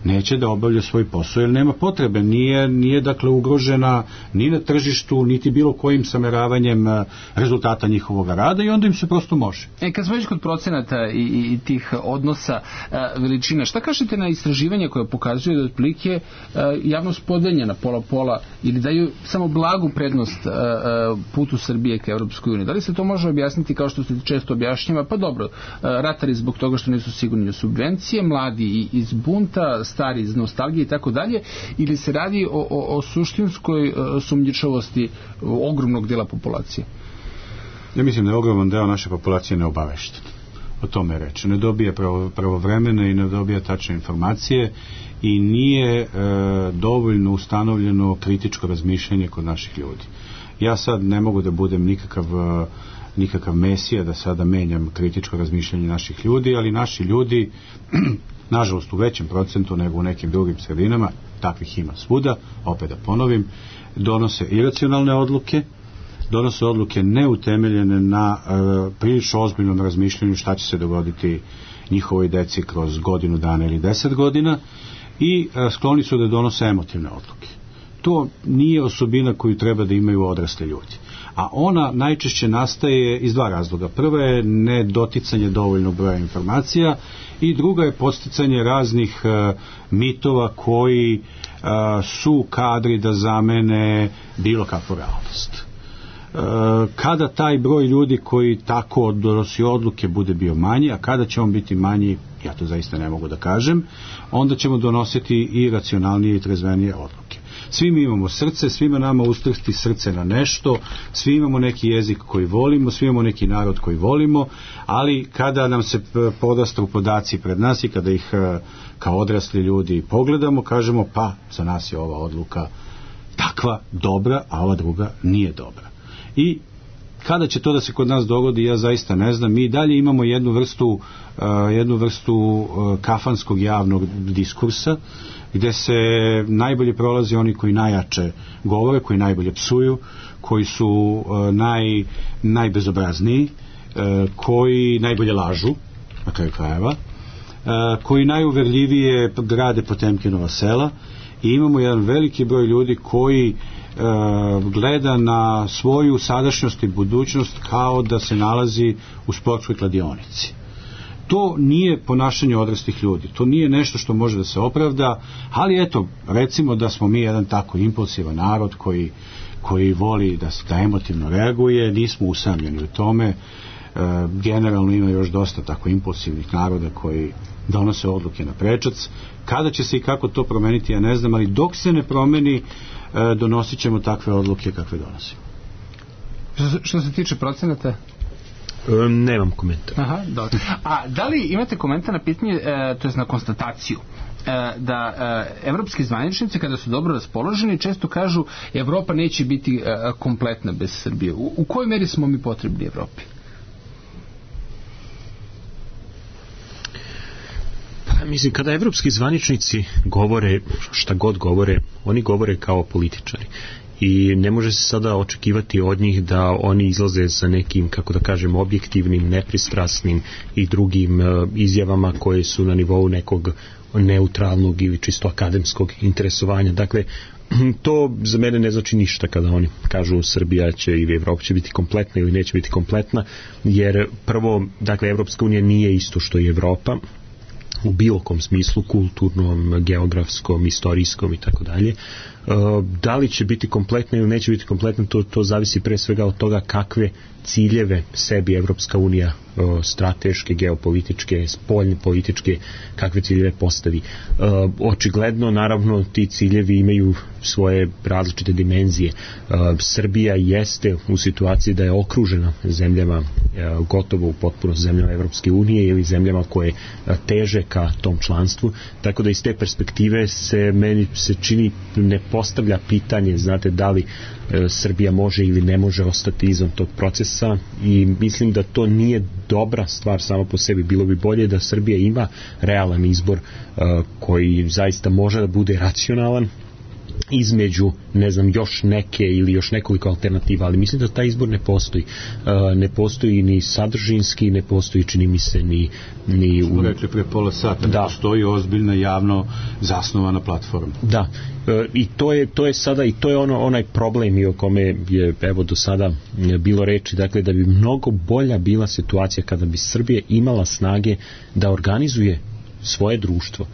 S5: neće da obavlja svoj posao, jer nema potrebe, nije dakle ugrožena ni na tržištu, niti bilo kojim sameravanjem rezultata njihovog rada, i onda im se prosto može.
S3: Kad smo već kod procenata i tih odnosa veličina, šta kažete na istraživanja koje pokazuju da otprilike javnost podeljena pola ili daju samo blagu prednost putu Srbije ka Evropskoj uniji? Da li se to može objasniti kao što se često objašnjava? Pa dobro, ratari zbog toga što nisu sigurni u subvencije, mladi iz bunta, stari iz nostalgije i tako dalje, ili se radi o suštinskoj sumnjičavosti ogromnog dela populacije?
S5: Ja mislim da je ogroman deo naše populacije neobavešten. O tome je reč. Ne dobija pravovremene i ne dobija tačne informacije i nije dovoljno ustanovljeno kritičko razmišljanje kod naših ljudi. Ja sad ne mogu da budem nikakav mesija da sada menjam kritičko razmišljanje naših ljudi, ali naši ljudi nažalost u većem procentu nego u nekim drugim sredinama, takvih ima svuda, opet da ponovim, donose iracionalne odluke, donose odluke neutemeljene na prilično ozbiljnom razmišljanju šta će se dogoditi njihovoj deci kroz godinu dana ili 10 godina, i skloni su da donose emotivne odluke. To nije osobina koju treba da imaju odrasli ljudi. A ona najčešće nastaje iz dva razloga. Prva je nedoticanje dovoljnog broja informacija i druga je podsticanje raznih mitova koji su kadri da zamene bilo kakvu realnost. Kada taj broj ljudi koji tako donosi odluke bude bio manji, a kada će on biti manji, ja to zaista ne mogu da kažem, onda ćemo donositi i racionalnije i trezvenije odluke. Svi mi imamo srce, svima nama ustrsti srce na nešto, svi imamo neki jezik koji volimo, svi imamo neki narod koji volimo, ali kada nam se podastru podaci pred nas i kada ih kao odrasli ljudi pogledamo, kažemo pa za nas je ova odluka takva dobra, a ova druga nije dobra. I kada će to da se kod nas dogodi, ja zaista ne znam. Mi dalje imamo jednu vrstu kafanskog javnog diskursa, gde se najbolje prolazi oni koji najjače govore, koji najbolje psuju, koji su najbezobrazniji, koji najbolje lažu, na kraju krajeva, koji najuverljivije grade Potemkinova sela, i imamo jedan veliki broj ljudi koji gleda na svoju sadašnjost i budućnost kao da se nalazi u sportskoj kladionici. To nije ponašanje odraslih ljudi, to nije nešto što može da se opravda, ali eto, recimo da smo mi jedan tako impulsivan narod koji voli da emotivno reaguje, nismo usamljeni u tome. Generalno ima još dosta tako impulsivnih naroda koji donose odluke na prečac. Kada će se i kako to promeniti, ja ne znam, ali dok se ne promeni, donosit ćemo takve odluke kakve donosimo.
S3: Što se tiče procenata?
S4: Nemam komentar.
S3: Aha, dobro. A da li imate komentar na pitanje, to je na konstataciju, da evropski zvaničnici kada su dobro raspoloženi često kažu Evropa neće biti kompletna bez Srbije. U kojoj meri smo mi potrebni Evropi?
S4: Mislim, kada evropski zvaničnici govore šta god govore, oni govore kao političari. I ne može se sada očekivati od njih da oni izlaze sa nekim, kako da kažem, objektivnim, nepristrasnim i drugim izjavama koje su na nivou nekog neutralnog ili čisto akademskog interesovanja. Dakle, to za mene ne znači ništa kada oni kažu Srbija će ili Evropa će biti kompletna ili neće biti kompletna, jer prvo, dakle, Evropska unija nije isto što i Evropa, u bilo kom smislu, kulturnom, geografskom, istorijskom i tako dalje. Da li će biti kompletna ili neće biti kompletna, to zavisi pre svega od toga kakve ciljeve sebi Evropska unija strateške, geopolitičke, spoljne političke, kakve ciljeve postavi. Očigledno, naravno, ti ciljevi imaju svoje različite dimenzije. Srbija jeste u situaciji da je okružena zemljama, gotovo u potpunosti zemljama Evropske unije ili zemljama koje teže ka tom članstvu, tako da iz te perspektive meni se čini ne postavlja pitanje, znate, da li Srbija može ili ne može ostati izvan tog procesa, i mislim da to nije dobra stvar samo po sebi. Bilo bi bolje da Srbija ima realan izbor koji zaista može da bude racionalan između, ne znam, još neke ili još nekoliko alternativa, ali mislim da taj izbor ne postoji. Ne postoji ni sadržinski, ne postoji, čini mi se, ni
S5: smo rekli pre pola sata, da postoji ozbiljna javno zasnovana platforma.
S4: Da, i to je sada, i to je onaj problem i o kome je evo do sada bilo reči, dakle, da bi mnogo bolja bila situacija kada bi Srbija imala snage da organizuje svoje društvo,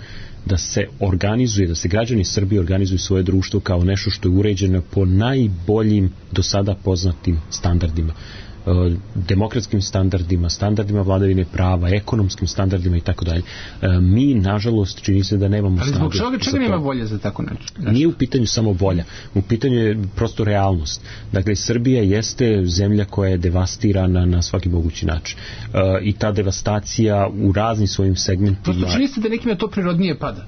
S4: da se organizuje, da se građani Srbije organizuju svoje društvo kao nešto što je uređeno po najboljim do sada poznatim standardima, demokratskim standardima vladavine prava, ekonomskim standardima i tako dalje. Mi, nažalost, čini se da nemamo snage.
S3: Ali zbog čega nema volje za tako nešto?
S4: Nije u pitanju samo volja, u pitanju je prosto realnost. Dakle, Srbija jeste zemlja koja je devastirana na svaki mogući način. I ta devastacija u raznim svojim segmentima...
S3: Prosto čini se da nekima to prirodnije pada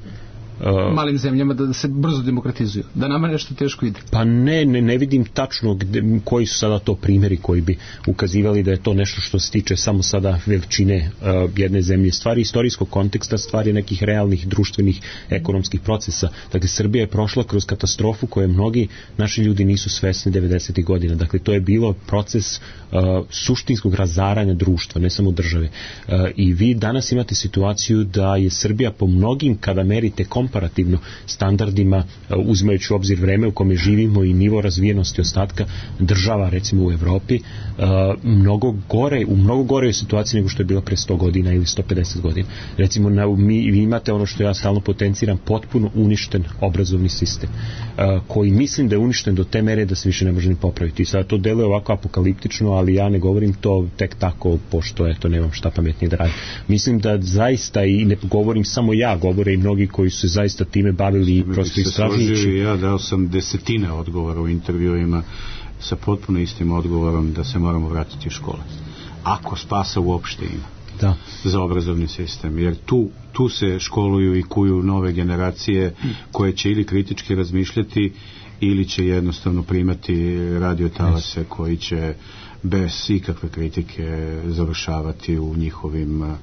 S3: malim zemljama da se brzo demokratizuju, da nama nešto teško ide.
S4: Pa ne vidim tačno koji su sada to primjeri koji bi ukazivali da je to nešto što se tiče samo sada veličine jedne zemlje. Stvari istorijskog konteksta, stvari nekih realnih društvenih ekonomskih procesa. Dakle, Srbija je prošla kroz katastrofu koje mnogi naši ljudi nisu svesni 90. godina. Dakle, to je bilo proces suštinskog razaranja društva, ne samo države. I vi danas imate situaciju da je Srbija po mnogim, kada merite komparativno komparativno standardima, uzimajući u obzir vreme u kome živimo i nivo razvijenosti ostatka država, recimo u Evropi, u mnogo gore situaciji nego što je bilo pre 100 godina ili 150 godina. Recimo, vi imate ono što ja stalno potenciram, potpuno uništen obrazovni sistem, koji mislim da je uništen do te mere da se više ne može ni popraviti. I sad to deluje ovako apokaliptično, ali ja ne govorim to tek tako, pošto eto, nemam šta pametnije da radim. Mislim da zaista, i ne govorim samo ja, govore i mnogi koji su se zaista time bavili i prosto istražujući.
S5: Ja dao sam desetine odgovora u intervjuima sa potpuno istim odgovorom da se moramo vratiti u škole. Ako spasa uopšte ima za obrazovni sistem, jer tu se školuju i kuju nove generacije koje će ili kritički razmišljati ili će jednostavno primati radiotalase koji će bez ikakve kritike završavati u njihovim,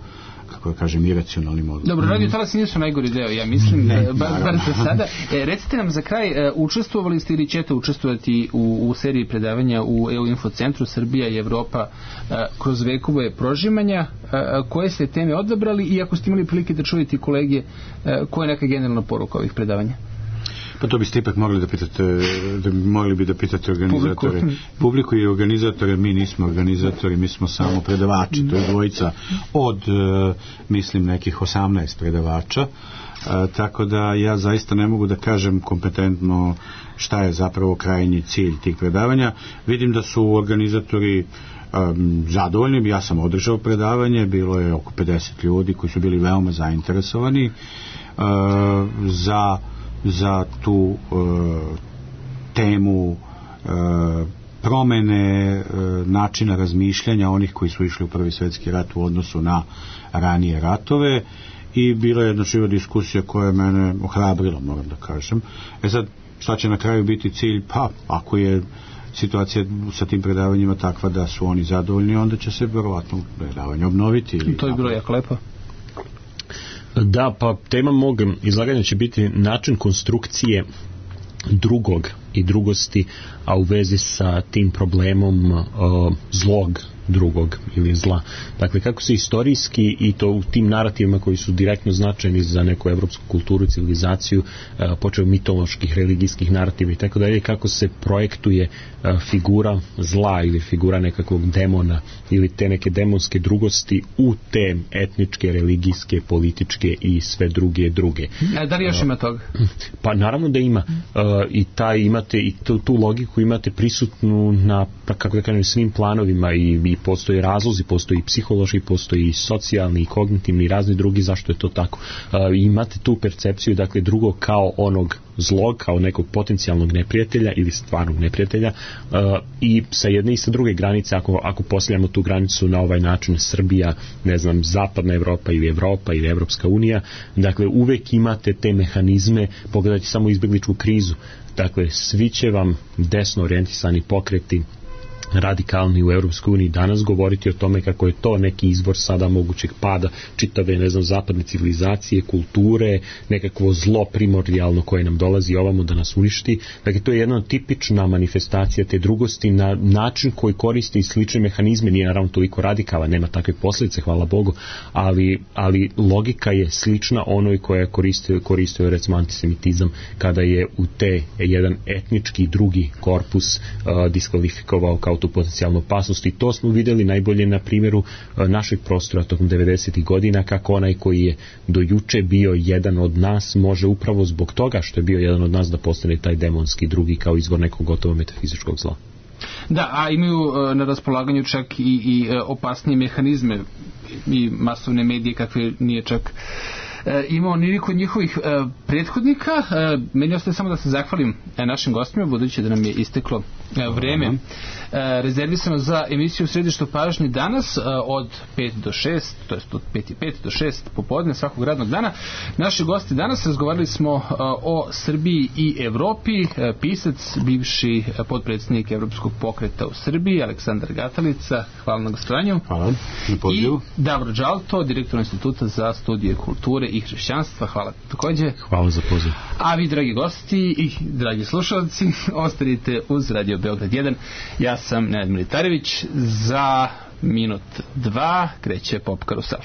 S5: kako da kažem, iracionalnim odgovorima.
S3: Dobro, radiotalasi nisu najgori deo, ja mislim, bar za sada. Recite nam za kraj, učestvovali ste ili ćete učestvovati u seriji predavanja u EU Infocentru Srbija i Evropa kroz vekove prožimanja? Koje ste teme odabrali i ako ste imali prilike da čujete kolege, koja je neka generalna poruka ovih predavanja?
S5: Pa to biste ipak mogli da pitate organizatore. Publiku i organizatore, mi nismo organizatori, mi smo samo predavači. To je dvojica od, mislim, nekih 18 predavača. Tako da ja zaista ne mogu da kažem kompetentno šta je zapravo krajnji cilj tih predavanja. Vidim da su organizatori zadovoljni. Ja sam održao predavanje, bilo je oko 50 ljudi koji su bili veoma zainteresovani za tu temu promene načina razmišljanja onih koji su išli u Prvi svjetski rat u odnosu na ranije ratove, i bila je jedna živa diskusija koja je mene ohrabrila, moram da kažem. Sad, šta će na kraju biti cilj? Pa, ako je situacija sa tim predavanjima takva da su oni zadovoljni, onda će se verovatno predavanje obnoviti. Ili
S3: to je bilo jako lepo.
S4: Da, pa tema mog izlaganja će biti način konstrukcije drugog i drugosti, a u vezi sa tim problemom zlog drugog ili zla. Dakle, kako se istorijski i to u tim narativima koji su direktno značajni za neku evropsku kulturu i civilizaciju, počeo mitoloških, religijskih narativa i tako dalje, kako se projektuje figura zla ili figura nekakvog demona ili te neke demonske drugosti u te etničke, religijske, političke i sve druge.
S3: Da li još ima toga?
S4: Pa naravno da ima. I imate i tu logiku imate prisutnu na, kako da kažem, svim planovima i postoje razlozi, postoji i psihološki, postoji i socijalni i kognitivni i razni drugi zašto je to tako. Imate tu percepciju, dakle, drugog kao onog zlog, kao nekog potencijalnog neprijatelja ili stvarnog neprijatelja, i sa jedne i sa druge granice, ako postavljamo tu granicu na ovaj način, Srbija, ne znam, zapadna Evropa ili Evropska unija, dakle, uvek imate te mehanizme. Pogledajte samo izbegličku krizu. Dakle, svi će vam desno orijentisani pokreti, radikalni u Europskoj uniji danas govoriti o tome kako je to neki izvor sada mogućeg pada čitave, ne znam, zapadne civilizacije, kulture, nekakvo zlo primordijalno koje nam dolazi ovamo da nas uništi. Dakle, to je jedna tipična manifestacija te drugosti na način koji koristi slične mehanizme, nije naravno toliko radikalan, nema takve posljedice, hvala Bogu, ali logika je slična onoj koja koristio recimo antisemitizam kada je u te jedan etnički drugi korpus diskvalifikovao kao tu potencijalnu opasnost, i to smo vidjeli najbolje na primjeru našeg prostora tokom 90. godina, kako onaj koji je do juče bio jedan od nas može upravo zbog toga što je bio jedan od nas da postane taj demonski drugi kao izvor nekog gotovo metafizičkog zla.
S3: Da, a imaju na raspolaganju čak i opasnije mehanizme i masovne medije kakve nije čak imao ni kod njihovih prethodnika. Meni ostaje samo da se zahvalim našim gostima, budući da nam je isteklo vreme rezervisano za emisiju Središte pažnje danas od 5 do 6, to jest od 5:05 do 6 popodne svakog radnog dana. Naši gosti danas razgovarali smo o Srbiji i Evropi. Pisac, bivši potpredsjednik Evropskog pokreta u Srbiji, Aleksandar Gatalica, hvala na gostovanju.
S5: Hvala na pozivu.
S3: I Davor Đalto, direktor Instituta za studije kulture i hrišćanstva, hvala također.
S4: Hvala za poziv.
S3: A vi, dragi gosti i dragi slušalci, ostanite uz Radio Beograd 1. Ja sam Nenad Militarević. Za minut 2 kreće Pop Karusel.